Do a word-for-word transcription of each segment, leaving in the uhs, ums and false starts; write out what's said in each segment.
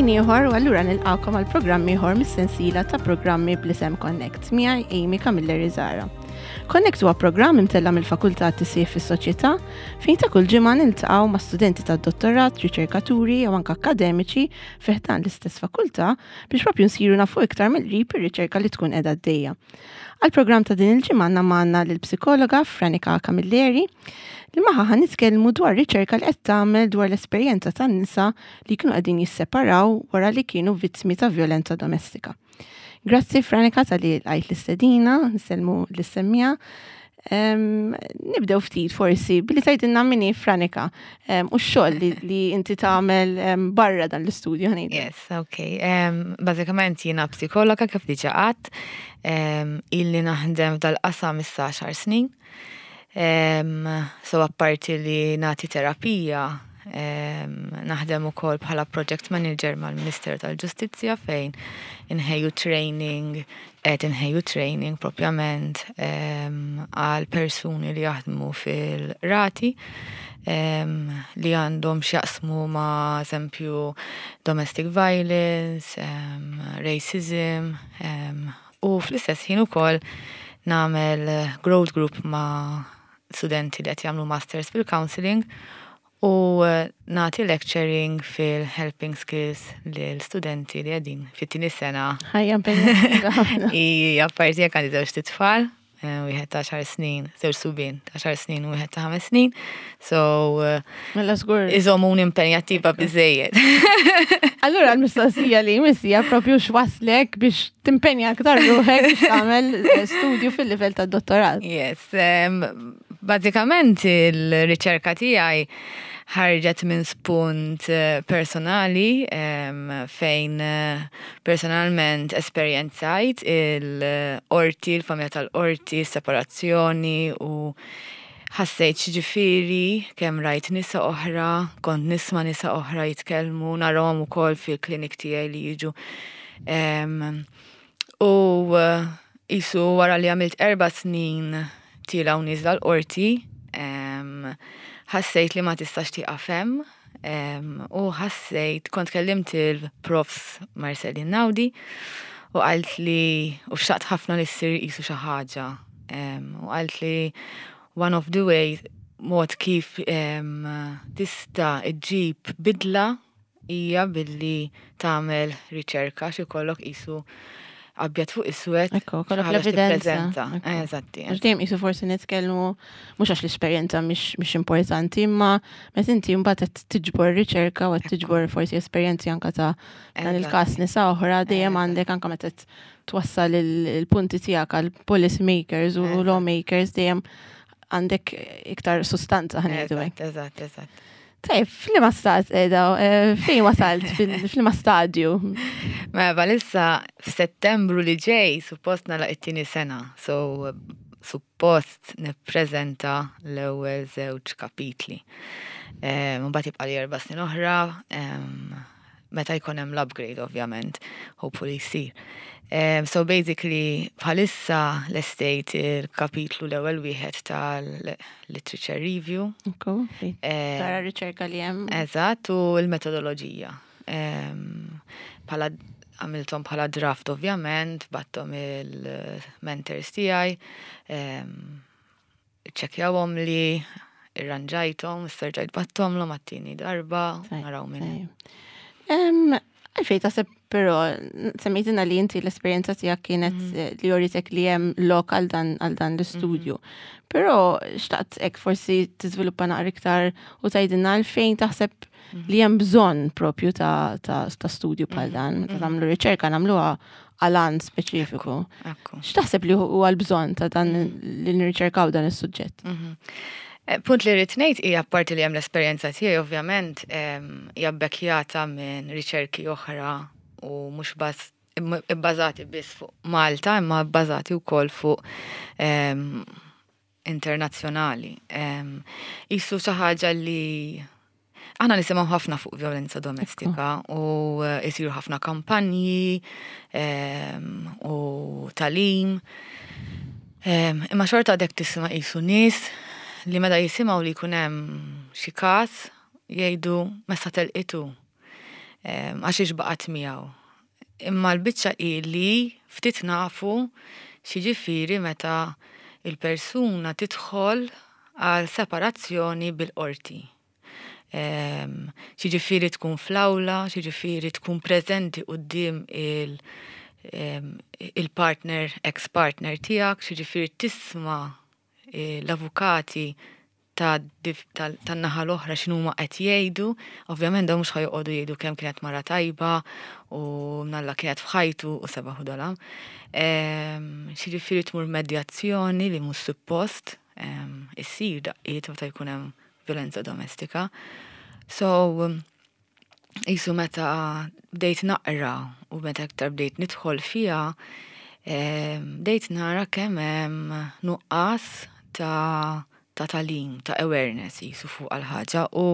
Ħin ieħor u allura nilqakom għal programm ieħor mis-sensiela ta' programmi bl-isem Connect miegħi, Amy Camilleri Zara. Connect huwa programm imtella mill-Fakultà Tisjir fis-Soċjetà fejn ta' kull ġimgħa niltaqgħu ma' studenti tad-dottorat, riċerkaturi jew anke akkademiċi fi ħdan l-istess fakultà biex propju nsiru nafu iktar mill-qrib ir-riċerka li tkun qiegħda għaddejja. Għal-programm ta' din il-ġimgħa għandna magħna lill-psikologa Franika Camilleri li magħha ħa nitkellmu dwar riċerka li qed tagħmel dwar l-esperjenza tan-nisa li kienu qegħdin jisseparaw wara li kienu vittmi ta' violenza domestika. Grazzi, Franika, talli lqajt l-istedina, nsellmu lis-semmiegħa. Nibdew ftit forsi billi tgħidilna min hi Franika u x-xogħol li, li inti tagħmel barra dan l-istudju, ħa ngħidu. Yes, ok. Um, Bażikament jiena psikologa, kif diġà għedt, um, illi naħdem f'dal-qasam issa għaxar snin. Um, so apparti li nagħti terapija, um, naħdem ukoll bħala project manager mal-Ministeru tal-Ġustizzja fejn inħejju training, qed inħejju training propjament um, għal persuni li jaħdmu fil-qrati um, li għandhom x'jaqsmu ma' eżempju domestic violence, um, racism, um, u fl-istess ħin ukoll nagħmel growth group ma' studenti li qed jagħmlu masters fil-counseling u eh, nagħti lecturing fil-helping skills lil studenti li qegħdin fit-tieni sena. Ħajja impenjattiva ħafna. I apparti jekk għandi żewġt itfal, eh, wieħed ta' għaxar snin, żewġ subien ta' għaxar snin u wieħed ta' ħames snin. So eh, Mela żgur. iżomuni impenjattiva biżejjed. Allura l-mistoqsija li jmiss hija propju x'waslek biex timpenja aktar ruħek biex tagħmel eh, studju fil-livell tad-dottorat. Yes, um, bażikament il-riċerka tiegħi ħarġet minn spunt eh, personali um, fejn eh, personalment esperjenzajt il-qorti, il-familja tal-qorti, separazzjoni u ħassejt x'jiġifieri, kemm rajt nisa oħra, kont nisma' nisa oħra jitkellmu, narahom ukoll fil-klinik tiegħi li jiġu. Um, u eh, qisu wara li għamilt erba' snin tielgħa u nieżla l-qorti, em, ħassejt li ma tistax tieqaf hemm, em, u ħassejt, kont kellimt il-profs Marcelin Naudi u qalt li, u xtaqt ħafna li ssir qisu xi ħaġa, em, u qalt li one of the ways, mod kif em, tista' iġġib bidla hija billi tagħmel riċerka xi jkollok qisu abjad fuq iswed. Ekku, kollok xi ħaġa l-evidenza. tippreżenta. Ekku. Eżatti. Għax dejjem qisu forsi nitkellmu mhux għax l-esperjenza mhix mhix importanti, imma meta inti mbagħad qed tiġbor riċerka u qed tiġbor forsi esperjenzi anka ta' dan il-każ nisa oħra, dejjem Eżatt. għandek, anka meta qed twassal il- il-punti tiegħek għal policy makers u Eżatt. lawmakers, dejjem għandek iktar sustanza, ħa ngħidu hekk. Eżatt, eżatt, eżatt. Tajb, f'liema stat qiegħda, eh, fejn wasalt, fil- f'liema stadju? Mela bħalissa f'Settembru li ġej suppost nagħlaq it-tieni sena, so suppost nippreżenta l-ewwel żewġ kapitli. Mbagħad jibqa' li erba' snin oħra, em, meta jkun hemm l-upgrade ovvjament, hopefully jsir. Um, so basically bħalissa lestejt il-kapitlu l-ewwel wieħed tal-literature review. Ekku, Eh, tara riċerka li hemm. Eżatt, u l-metodoloġija. Em, Bħala għamilthom bħala draft ovvjament, bgħatthom il-mentors tiegħi, ċekjawhom li irranġajthom, sterġajt bgħatthom l għat-tieni darba, Tajb, naraw minn. tajb. Em, Għalfejn taħseb però, semmejtina li inti l-esperjenza tiegħek kienet eh, li uritek li hemm lok għal dan għal dan l-istudju. Però xtaqt hekk forsi tiżviluppa naqra iktar u tgħidilna għalfejn taħseb li hemm bżonn propju ta', ta, ta' studju bħal dan. Meta nagħmlu riċerka nagħmluha għal għan speċifiku. Ekku. X'taħseb li huwa l-bżonn ta' dan li nirriċerkaw dan is-suġġett? Mhm. Eh, Punt li rrid ngħid hija apparti li hemm l-esperjenza tiegħi ovvjament em, hija bbekkjata minn riċerki oħra u mhux bas ibbażati biss fuq Malta imma bbażati wkoll fuq em, internazzjonali. Em, Qisu xi ħaġa li aħna nisimgħu ħafna fuq violenza domestika u eh, isiru ħafna kampanji em, u tagħlim. Em, Imma xorta għadek tisma' qisu nies li meta jisimgħu li jkun hemm xi każ jgħidu messa telqitu. Għax baqgħet miegħu. Imma l-biċċa hi li ftit nafu x'jiġifieri meta il-persuna tidħol għal separazzjoni bil-qorti. X'jiġifieri tkun fl-awla, x'jiġifieri tkun preżenti quddiem il-partner, ex-partner tiegħek, x'jiġifieri tisma' l-avukati tan-naħa l-oħra x'inhuma qed jgħidu. Ovvjament dawn mhux ħa joqogħdu jgħidu kemm kienet mara tajba u mnalla kienet f'ħajtu u sebaħ u dalam. X'jiġifieri tmur medjazzjoni li mhux suppost issir daqqiet meta jkun hemm violenza domestika. So, jisu meta bdejt naqra u meta aktar bdejt nidħol fiha, bdejt nara kemm hemm nuqqas ta' ta' tagħlim, ta' awareness jisu fuq għal-ħaġa u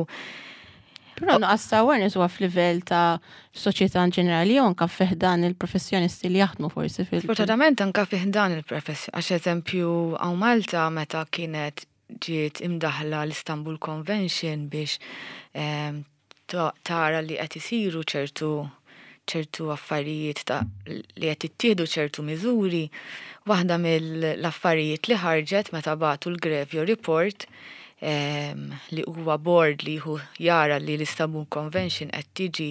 Però nuqqas ta' awareness huwa f'livell ta' soċjetà in ġenerali jew anka fi ħdan il-professjonisti li jaħdmu forsi fil- Sfortunatament anka fi ħdan il-professjoni, għax eżempju hawn Malta meta kienet ġiet imdaħla l-Istanbul Convention biex tara li qed isiru ċertu ċertu affarijiet ta' li qed ittieħdu ċertu miżuri, waħda mill-affarijiet li ħarġet meta bagħtu l-GREVIO report li huwa board li hu jara li l-Istanbul Convention qed tiġi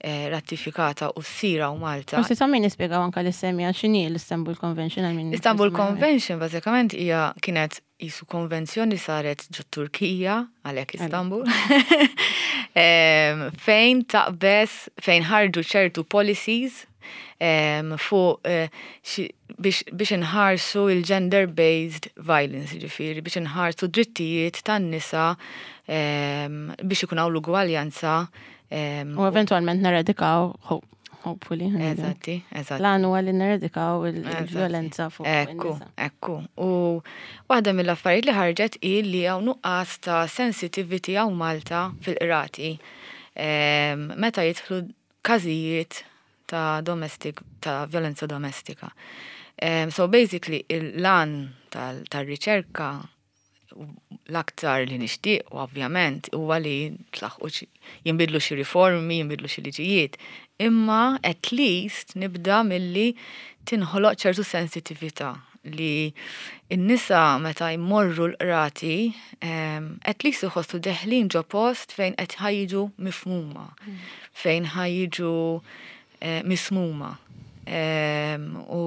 eh, ratifikata u ssir hawn Malta. Forsi ta' min nispjegaw anka lis-semmiegħa x'inhi l-Istanbul Convention għal min. Istanbul Convention bażikament hija kienet jisu konvenzjoni saret ġo Turkija, għalhekk Istanbul, fejn taqbes, fejn ħarġu ċertu policies fuq eh, biex inħarsu il-gender-based violence, ġifieri, biex inħarsu drittijiet tan-nisa biex ikun hawn l-ugwaljanza. U eventualment neradikaw, hopefully. Eżatti, eżatti. L-għan huwa li neradikaw il-violenza fuq Ekku, ekku. U waħda mill-affarijiet li ħarġet hi li hawn nuqqas ta' sensitivity hawn Malta fil-qrati meta jidħlu każijiet ta' domestic, ta' violenza domestika. So basically, l-għan tal-riċerka l-aktar li nixtieq u ovvjament huwa li tlaħqu jinbidlu xi riformi, jinbidlu xi liġijiet, imma at least nibda milli tinħoloq ċertu sensitività li n-nisa meta jmorru l-qrati at least iħossu deħlin ġo post fejn qed ħa jiġu mifhuma, fejn ħa jiġu eh, mismugħa. U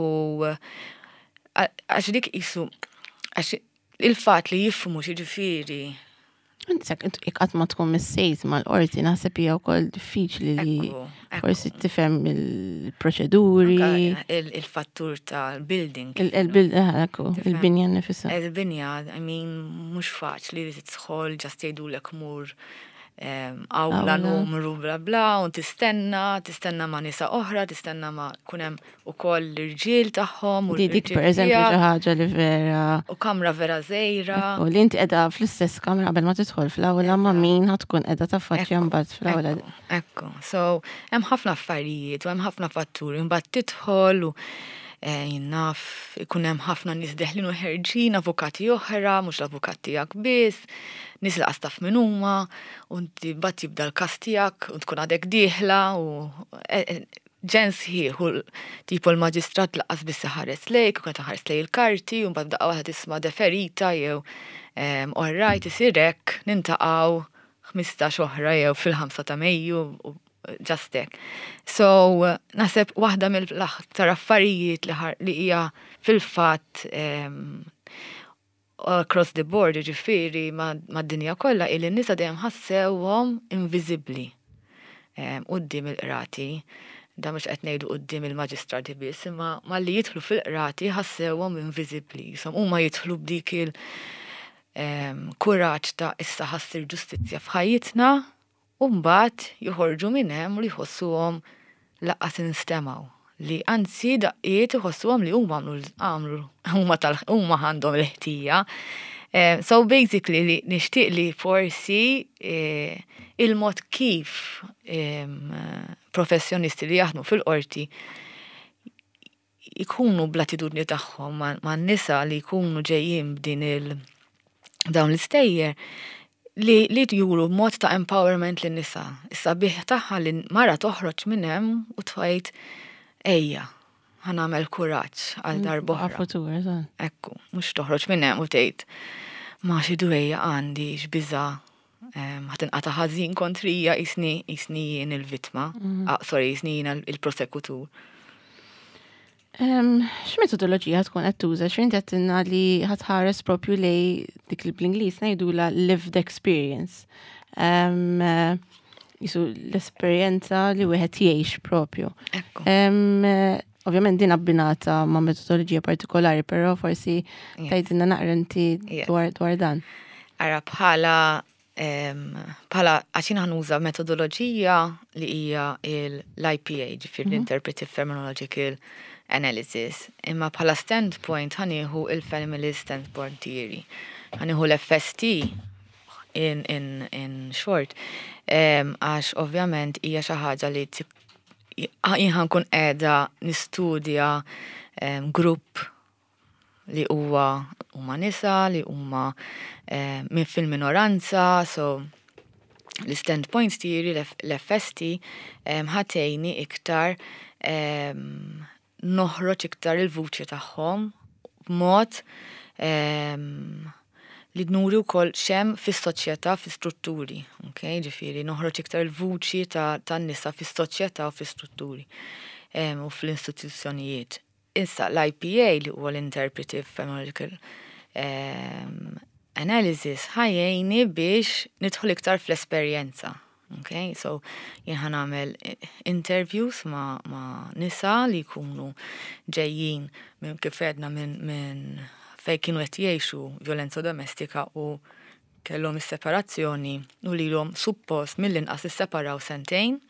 għax dik jisu, għax il-fat li jifhmu x'jiġifieri. Insek, qatt ma tkun missejt mal-qorti, naħseb hija wkoll diffiċli li forsi tifhem il-proċeduri. Il-fattur tal-building. Il-binja nifisha. Il-binja, I mean, mhux faċli li tidħol just jgħidulek mur awla numru bla bla, u tistenna, tistenna ma' nisa oħra, tistenna ma' kunem u koll l-irġiel tagħhom. Di dik per eżempju xi ħaġa li vera. U kamra vera żgħira. U li inti qiegħda fl-istess kamra qabel ma tidħol fl-awla ma' min ħa tkun qiegħda taffaċċja mbagħad fl-awla. Ekku, so hemm ħafna affarijiet u hemm ħafna fatturi, mbagħad tidħol u eh, jinnaf ikun hemm ħafna nies deħlin u ħerġin, avukati oħra, mhux l-avukat tiegħek biss, nies li taf min huma, u inti mbagħad jibda l-każ tiegħek u tkun għadek dieħla u eh, eh, ġens ħieħ u tipo l-maġistrat lanqas biss ħares lejk, u kien ħares lej il-karti, u mbagħad daqqa waħda tisma' deferita jew all right isir hekk niltaqgħu ħmistax oħra jew fil-ħamsa ta' Mejju u just hekk. So, naħseb waħda mill-aktar affarijiet li hija fil-fatt across the board, ġifieri mad-dinja kollha, illi n-nisa dejjem ħassewhom inviżibbli quddiem il-qrati. Da mhux qed ngħidu quddiem il-maġistrati biss, imma malli jidħlu fil-qrati ħassewhom inviżibbli. Jisom huma jidħlu b'dik il kuraġġ ta' issa ħa ssir ġustizzja f'ħajjitna, u mbagħad joħorġu minn hemm u li jħossuhom lanqas instemgħu. Li anzi daqqiet iħossuhom li huma għamlu huma tal huma għandhom l-ħtija. So basically li nixtieq li forsi il-mod kif professjonisti li jaħdmu fil-qorti ikunu bl-attitudni tagħhom man-nisa li jkunu ġejjin b'din il dawn l-istejjer li, li juru mod ta' empowerment lin nisa. Issa bih tagħha li mara toħroġ minn hemm u tgħid, "Ejja, ħa nagħmel kuraġġ għal darb'oħra." Għal-futur, eżatt. Ekku, mhux toħroġ minn hemm u tgħid, "Ma xi dwejja għandi, x'biża', ħa tinqata' ħażin kontrija jisni jisni jien il-vittma." Ah, sorry, jisni jien il-prosekutur. Em, X'metodoloġija tkun qed tuża? X'inti għedtilna li ħa tħares propju lej dik li bl-Ingliż ngħidula lived experience. Em, eh, Jisu l-esperjenza li wieħed jgħix propju. Ekku. Em, eh, Ovvjament din abbinata ma' metodoloġija partikolari, però forsi Yes. tgħidilna naqra inti Yes. dwar dwar dan. Ara, bħala em, bħala għax jien ħa nuża metodoloġija li hija l-I P A, ġifieri l-Interpretive Phenomenological Analysis. Imma bħala standpoint ħa nieħu il-Feminist Standpoint Theory. Ħa nieħu l-F S T in, in, in short, em, għax ovvjament hija xi ħaġa li tip- jien ħa nkun qiegħda nistudja em, grupp li huwa huma nisa, li huma eh, minn fil-minoranza, so l-standpoint theory, l-F S T, em, ħa tgħinni iktar em, noħroġ iktar il-vuċi tagħhom b'mod em, li nuri wkoll x'hemm fis-soċjetà, fis-strutturi, ok? Ġifieri noħroġ iktar il-vuċi ta' tan-nisa fis-soċjetà u fis-strutturi em, u fl-istituzzjonijiet. Issa l-I P A, li huwa l-Interpretive Phenomenological em, Analysis, ħa jgħinni biex nidħol iktar fl-esperjenza. Ok, so jien ħa nagħmel interviews ma', ma nisa li jkunu ġejjin minn, kif għedna, minn min fej kienu qed jgħixu violenza domestika u kellhom is-separazzjoni u lilhom suppost mill-inqas isseparaw sentejn,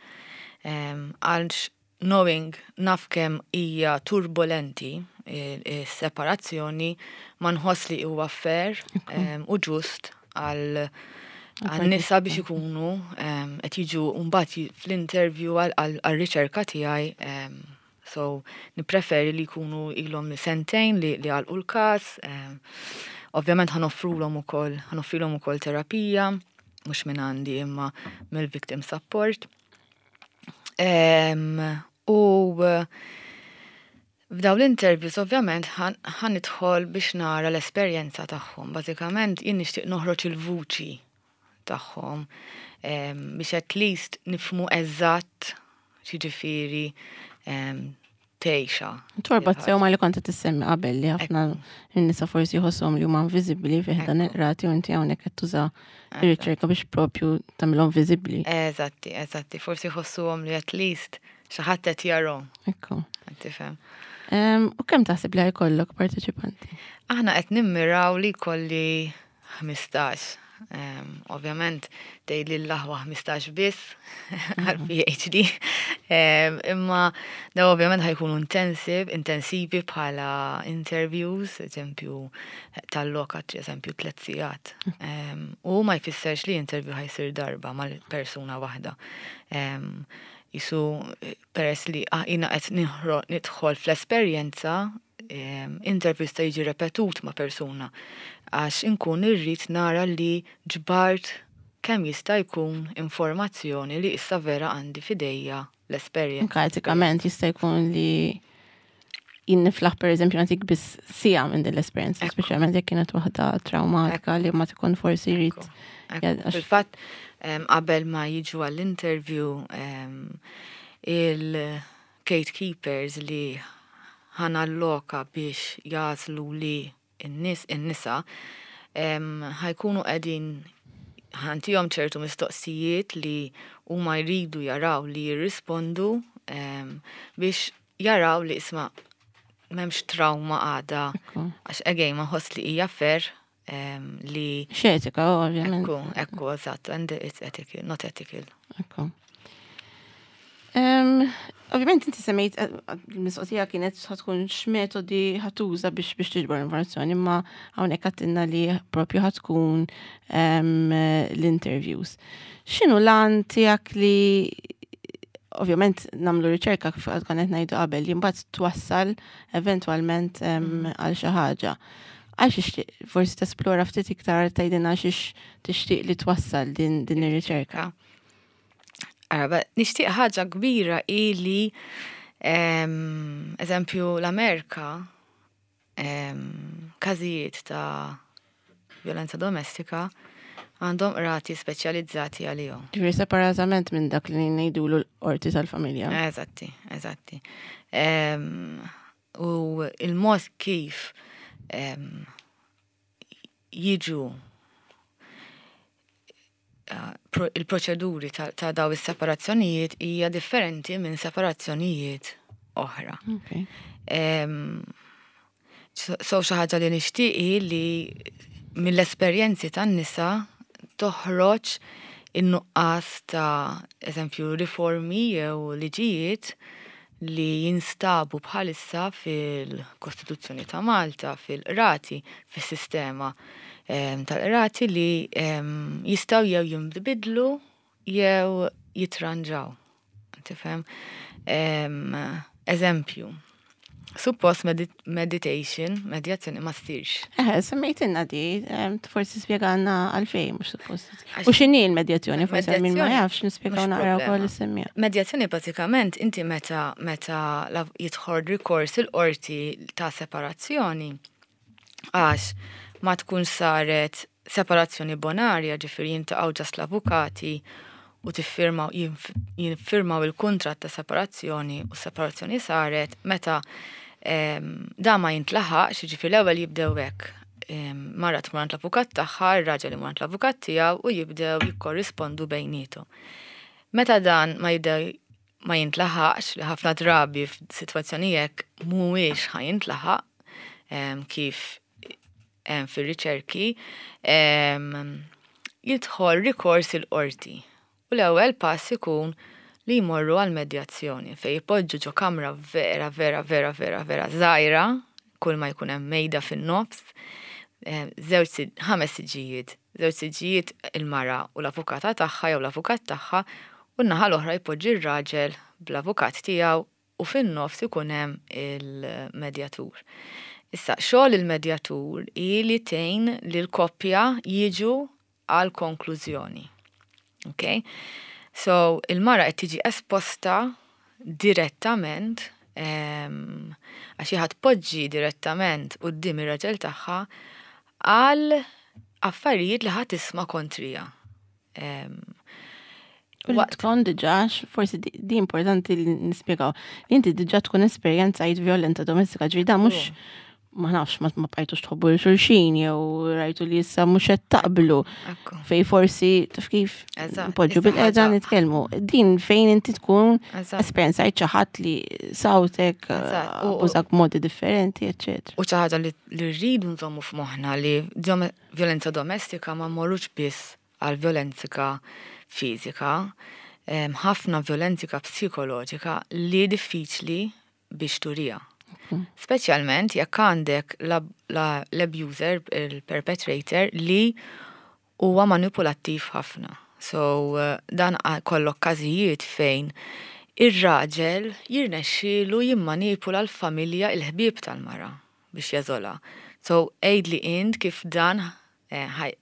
em, għalx knowing naf kemm hija turbolenti is-separazzjoni, ma nħoss li huwa fair em, u ġust għal għan-nisa biex ikunu em, qed jiġu mbagħad ji- fl-interview għal-riċerka tiegħi em, so nippreferi li jkunu ilhom sentejn li li għalqu l-każ. em, Ovvjament ħa noffrulhom ukoll ħa noffrilhom ukoll terapija, mhux minn għandi imma mill-victim support. Em, U f'daw l-interviews ovvjament ħa nidħol biex nara l-esperjenza tagħhom. Bażikament jien nixtieq noħroġ il-vuċi tagħhom em, biex at least nifhmu eżatt x'jiġifieri em, tgħixha. Torbot sew ma li kont qed issemmi qabel, li ħafna n-nisa forsi jħossuhom li huma inviżibbli fih dan il-qrati u inti hawnhekk qed tuża ir-riċerka biex propju tagħmilhom viżibbli. Eżatti, eżatti, forsi jħossuhom li at least xi ħadd qed jarahom. Ekku. Qed tifhem. Em, U kemm taħseb li jkollok parteċipanti? Aħna qed nimmiraw li jkolli ħmistax. Um, ovvjament tgħid li l-aħwa ħmistax biss għal P H D. Um, imma da ovvjament ħa jkunu intensive, intensivi bħala interviews, eżempju tal-lokat, eżempju tliet sigħat. Um, u ma jfisserx li interview ħa jsir darba mal-persuna waħda. Um, jisu peress li ah, jina qed nidħol fl-esperjenza, um, interview sta jiġi repetut ma' persuna għax inkun irrid nara li ġbart kemm jista' jkun informazzjoni li issa vera għandi f'idejja l-esperjenza. Anka etikament jista' jkun li jien niflaħ, per eżempju, nagħtik biss siegħa minn din l-esperjenza, Ekku. speċjalment jekk kienet waħda traumatika li ma tkun forsi jrid. Ekku, ekku. Ja, għax- Fil-fatt, em, qabel ma jiġu għall-interview, em, il-gatekeepers li ħa nalloka biex jagħżlu li n-nies in-nisa em, ħa jkunu qegħdin ħa ntihom ċertu mistoqsijiet li huma jridu jaraw li jirrispondu em, biex jaraw li isma' m'hemmx trauma għada, Ekku. għax again ma nħoss li hija fair em, li X'etika, ovvjament. Ekku, ekku, eżatt, and it's ethical, not ethical. Ekku. Um, ovvjament inti semmejt, eh, il-mistoqsija kienet ħa tkun x'metodi ħa tuża biex biex tiġbor informazzjoni, imma hawnhekk għedtilna li propju ħa tkun um, l-interviews. X'inhu l-għan tiegħek li ovvjament nagħmlu riċerka, kif għad konna ngħidu qabel, li mbagħad twassal eventwalment um, għal xi ħaġa? Għax tixtieq forsi tesplora ftit iktar, tgħidilna xiex tixtieq li twassal din din ir-riċerka. Ara, nixtieq ħaġa kbira ili, em, eżempju, l-Amerika, em, każijiet ta' violenza domestika għandhom rati speċjalizzati għalihom. Ġifieri separatament minn dak li ngħidulu l-qorti tal-familja. Eżatti, eżatti. Em, U il-mod kif em, jiġu eh, pro- il-proċeduri ta', ta' daw is-separazzjonijiet hija differenti minn separazzjonijiet oħra. Okay. Em, So so xi ħaġa li nixtieqi li mill-esperjenzi tan-nisa toħroġ in-nuqqas ta', eżempju, riformi jew liġijiet li jinstabu bħalissa fil-Kostituzzjoni ta' Malta, fil-qrati, fis-sistema em, tal-qrati li em, jistgħu jew jinbidlu jew jitranġaw. Tifhem? Em, Eżempju, suppost medi meditation, medjazzjoni ma ssirx. Eh, semmejtilna di, em, forsi spjegalna għalfejn, mhux suppost. Għax- U x'inhi l-medjazzjoni, forsi għal min ma Medjazzjoni, jafx, nispjegaw mhux naqra wkoll problema. is-semmija. Medjazzjoni bażikament inti meta meta la- jidħol rikors il-qorti ta' separazzjoni, għax ma tkun saret separazzjoni bonarja, ġifieri jiltaqgħu just l-avukati u tiffirmaw jinf- jinfirmaw il-kuntratt ta' separazzjoni u separazzjoni saret meta em, da ma jintlaħaqx, ġifieri l-ewwel jibdew hekk. Em, Mara tmur għand l-avukat tagħha, ir-raġel imur għand l-avukat tiegħu u jibdew jikkorrispondu bejniethom. Meta dan ma jibdew ma jintlaħaqx, li ħafna drabi f'sitwazzjoni hekk mhuwiex ħa jintlaħaq em, kif em, fir-riċerki, em, jidħol rikors il-qorti. U l-ewwel pass ikun li jmorru għal medjazzjoni fej jpoġġu ġo kamra vera, vera, vera, vera, vera żgħira, kull ma jkun hemm mejda fin-nofs, em, żewġ si- ħames siġijiet, żewġ siġijiet il-mara u l-avukata tagħha jew l-avukat tagħha, u n-naħa l-oħra jpoġġi r-raġel bl-avukat tiegħu u fin-nofs ikun hemm il-medjatur. Issa, xogħol il-medjatur hi li tgħin li l-koppja jiġu għal konklużjoni. Ok? So, il-mara qed tiġi esposta direttament em, għax ħa tpoġġi direttament quddiem ir-raġel tagħha għal affarijiet li ħa tisma' kontrija. Em, U li tkun diġà, forsi di di importanti li nispjegaw, li inti diġà tkun esperjenzajt violenza domestika, ġifieri da mhux, ma nafx, ma ma bqajtux tħobbu lil xulxin jew rajtu li issa mhux qed taqblu Ekku. fej forsi taf kif Eżatt, npoġġu issa bil-qeda ħaġa- nitkellmu. Din fejn inti tkun Eżatt. esperjenzajt xi ħadd li sawtek, Eżatt. U- abbużak b'modi differenti, eċċetera. U xi ħaġa li li rridu nżommu f'moħħna li dom- violenza domestika ma mmorrux biss għal violenza fiżika, em, ħafna violenza psikoloġika li diffiċli biex turija. Speċjalment jekk għandek la- la- l-abuser, il-perpetrator, li huwa manipulattiv ħafna. So eh, dan a- kollok każijiet fejn ir-raġel jirnexxielu jimmanipula l-familja, il-ħbieb tal-mara biex jeżola. So għidli int kif dan eh, ħaj-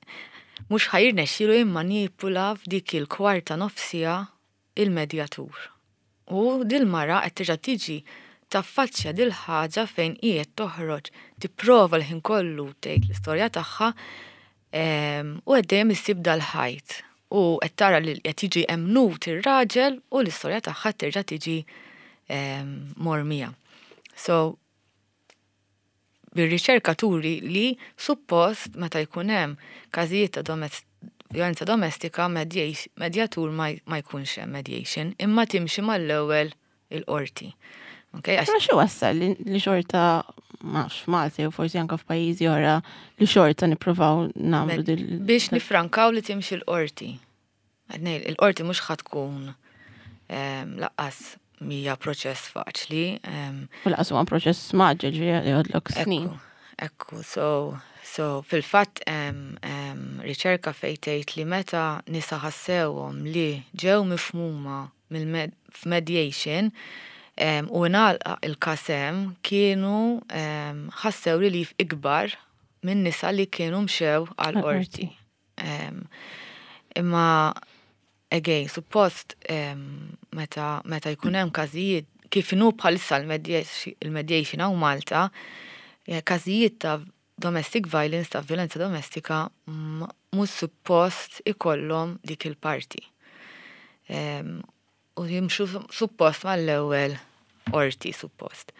mhux ħa jirnexxielu jimmanipula f'dik il-kwarta nofs siegħa il-medjatur. U dil-mara qed terġa' tiġi taffaċċja dil-ħaġa fejn qiegħed toħroġ tipprova l-ħin kollu tgħid l-istorja tagħha em, u qed dejjem issib dal-ħajt. U qed tara li qed jiġi emmnut ir-raġel u l-istorja tagħha terġa' tiġi em, mormija. So, bir-riċerka turi li suppost meta jkun hemm każijiet ta' domest violenza domestika mediation- medjatur ma ma jkunx hemm mediation, imma timxi mal-ewwel il-qorti. Okay? Għax Ma xi wassal li li xorta, ma nafx, f'Malta jew forsi anke f'pajjiżi oħra, li xorta nippruvaw nagħmlu dil biex nifrankaw li timxi l-qorti. Għednej, il-qorti mhux ħa tkun em, lanqas mija proċess faċli. em, U lanqas huwa proċess mgħaġġel, ġifieri joħodlok snin. Ekku, ekku, so, so fil-fatt em, em, riċerka fejn tgħid li meta nisa ħassewhom li ġew mifhuma f'mediation em, u ngħalaq il-każ hemm, kienu em, ħassew relief ikbar minn nisa li kienu mxew għal qorti. Imma again, suppost meta meta jkun hemm każijiet kif inhu bħalissa il-mediation hawn Malta, każijiet ta' domestic violence, ta' violenza domestika, mhux suppost ikollhom dik il-parti. U jimxu suppost mal-ewwel qorti suppost.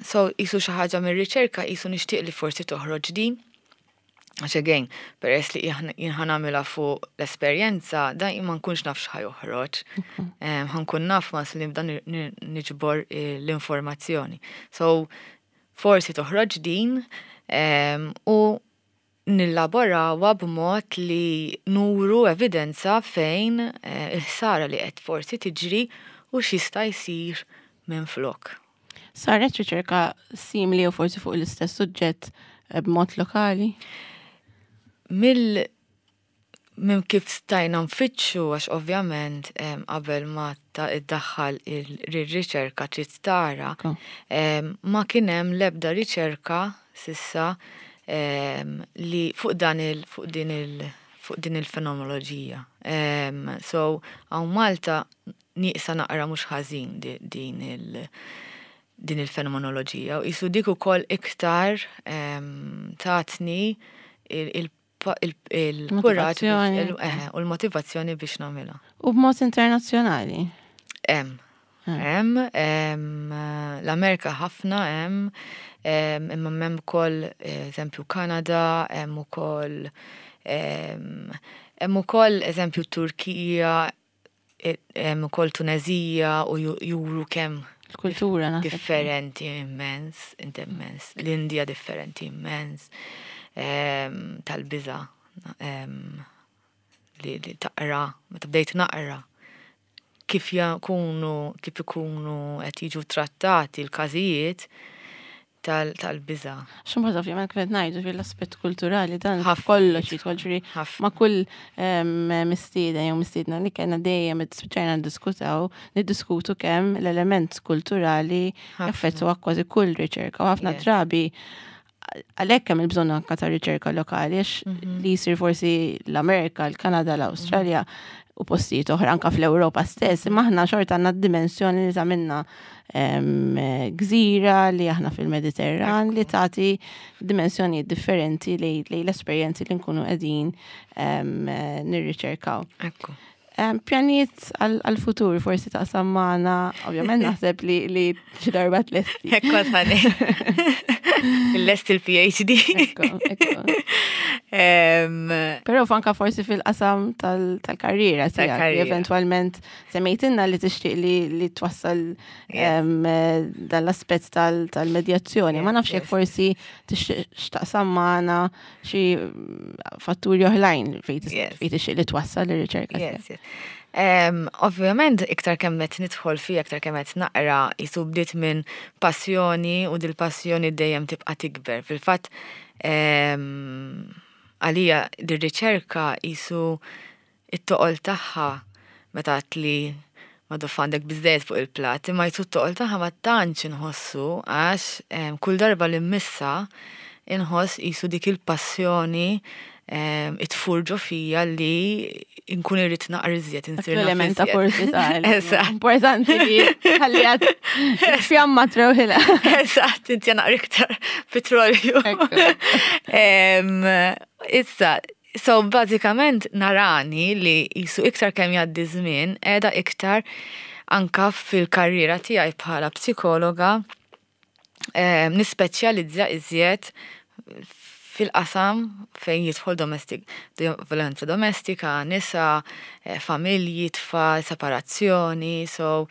So, qisu xi ħaġa mir-riċerka qisu nixtieq li forsi toħroġ din. Għax again, peress li jien ħa nagħmilha fuq l-esperjenza, dan ma nkunx naf x'ħa joħroġ. Ħa nkun naf ma li nibda niġbor l-informazzjoni. So, forsi toħroġ din u nillaborawha b'mod li nuru evidenza fejn eh, il-ħsara li qed forsi tiġri u x'jista' jsir minn flok. Saret riċerka simili u forsi fuq l-istess suġġett eh, b'mod lokali? Mill minn kif stajna nfittxu, għax ovvjament qabel ma iddaħħal il-riċerka trid tara, ma kien hemm l-ebda riċerka s'issa li fuq dan il fuq din il fuq din il-fenomenoloġija. So, hawn Malta nieqsa naqra mhux ħażin din il- din il-fenomenoloġija u qisu dik ukoll iktar tatni il-kuraġġ u l-motivazzjoni biex nagħmilha. U b'mod internazzjonali? Hemm. Hemm, l-Amerika ħafna hemm, imma hemm ukoll eżempju Kanada, hemm ukoll hemm ukoll eżempju Turkija, hemm ukoll Tunezija u juru kemm kultura differenti immens, immens. L-Indja differenti immens, tal-biża li taqra, meta bdejt naqra kif jakunu, kif ikunu qed jiġu trattati l-każijiet tal-biża. Xumbat ovvjament kif qed ngħidu fil-aspett kulturali dan kollox jidħol, ġifieri ma' kull mistieden jew mistiedna li kellna dejjem spiċċajna niddiskutaw, niddiskutu kemm l-element kulturali jaffettwa kważi kull riċerka u ħafna drabi għalhekk hemm il-bżonn anka ta' riċerka lokali, għax mhm. li jsir forsi l-Amerika, l-Kanada, l-Awstralja u postijiet oħra anka fl-Ewropa stess, imma aħna xorta għandna dimensjoni li tagħmilna gżira, li aħna fil-Mediterran, li tagħti dimensjoni differenti li l-esperjenzi li nkunu qegħdin nirriċerkaw. Ekku. Pjanijiet għal-futur forsi taqsam magħna, ovvjament naħseb li li xi darba tlesti. Ekku għadħani. Lest il-P H D. Ekku, ekku. Però anka forsi fil-qasam tal-karriera tiegħek, eventwalment semmejtilna li tixtieq li li twassal dan l-aspett tal-medjazzjoni. Ma nafx jekk forsi tixtieq x'taqsam magħna xi fatturi oħrajn fejn tixtieq li twassal ir-riċerka. Yes, yes. Um, ovvjament, iktar kemm qed nidħol fija, iktar kemm qed naqra, qisu bdiet minn passjoni u dil-passjoni dejjem tibqa' tikber. Fil-fatt, um, għalija dir-riċerka qisu it-toqol tagħha, meta li ma għandek biżżejjed fuq il-plat, imma qisu t-toqol tagħha ma tantx inħossu għax um, kull darba li mmissha inħoss qisu dik il-passjoni itfur ġo fija li nkun irrid naqra iżjed, insir naf Element ta' iżjed. kurżità. Eżatt. Importanti li ħalli għad fjamma trewħila. Eżatt, inti naqra iktar petrolju. Ekku. Em, Issa, so bażikament narani li qisu iktar kemm jgħaddi żmien qiegħda iktar anka fil-karriera tiegħi bħala psikologa em, nispeċjalizza iżjed fil-qasam fejn jidħol domestic, violenza domestika, nisa, eh, familji, tfal, separazzjoni, so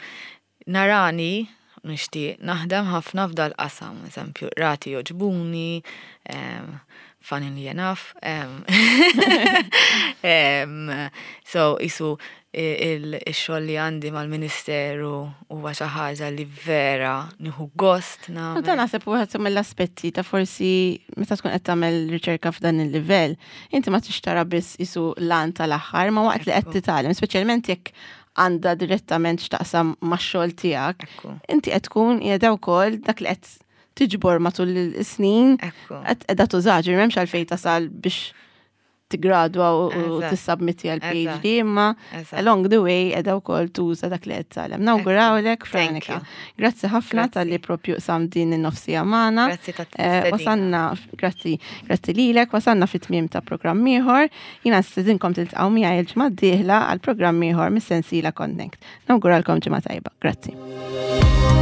narani nixtieq naħdem ħafna f'dal qasam, eżempju, rati joġbuni, em, funnily enough. em, em, so qisu il-xogħol li għandi mal-Ministeru huwa xi ħaġa li vera nieħu gost U nagħmel. dan naħseb wieħed mill-aspetti ta' forsi meta tkun qed tagħmel riċerka f'dan il-livell, inti ma tixtara biss qisu l-għan tal-aħħar, ma waqt li qed Ekku. titgħallem, speċjalment jekk għandha direttament x'taqsam max-xogħol tiegħek, Ekku. inti qed tkun qiegħda wkoll dak li qed tiġbor matul is-snin Ekku. qed qiegħda tuża, ġifieri m'hemmx għalfejn tasal biex tigradwa u u Eżatt. tissubmitti għal Eżatt. P H D, imma Eżatt. along the way qiegħda wkoll tuża dak li qed titgħallem. Nawgurawlek, Thank Franika. you. Grazzi ħafna Grazzi. talli propju qsamt din in-nofs siegħa magħna. Grazzi ta' Eh, Wasanna, grazzi, grazzi lilek, wasanna fit-tmiem ta' programm ieħor. Jiena nistedinkom tiltaqgħu miegħi il-ġimgħa d-dieħla għal programm ieħor mis-sensiela Connect. Nawguralkom ġimgħa tajba. Grazzi.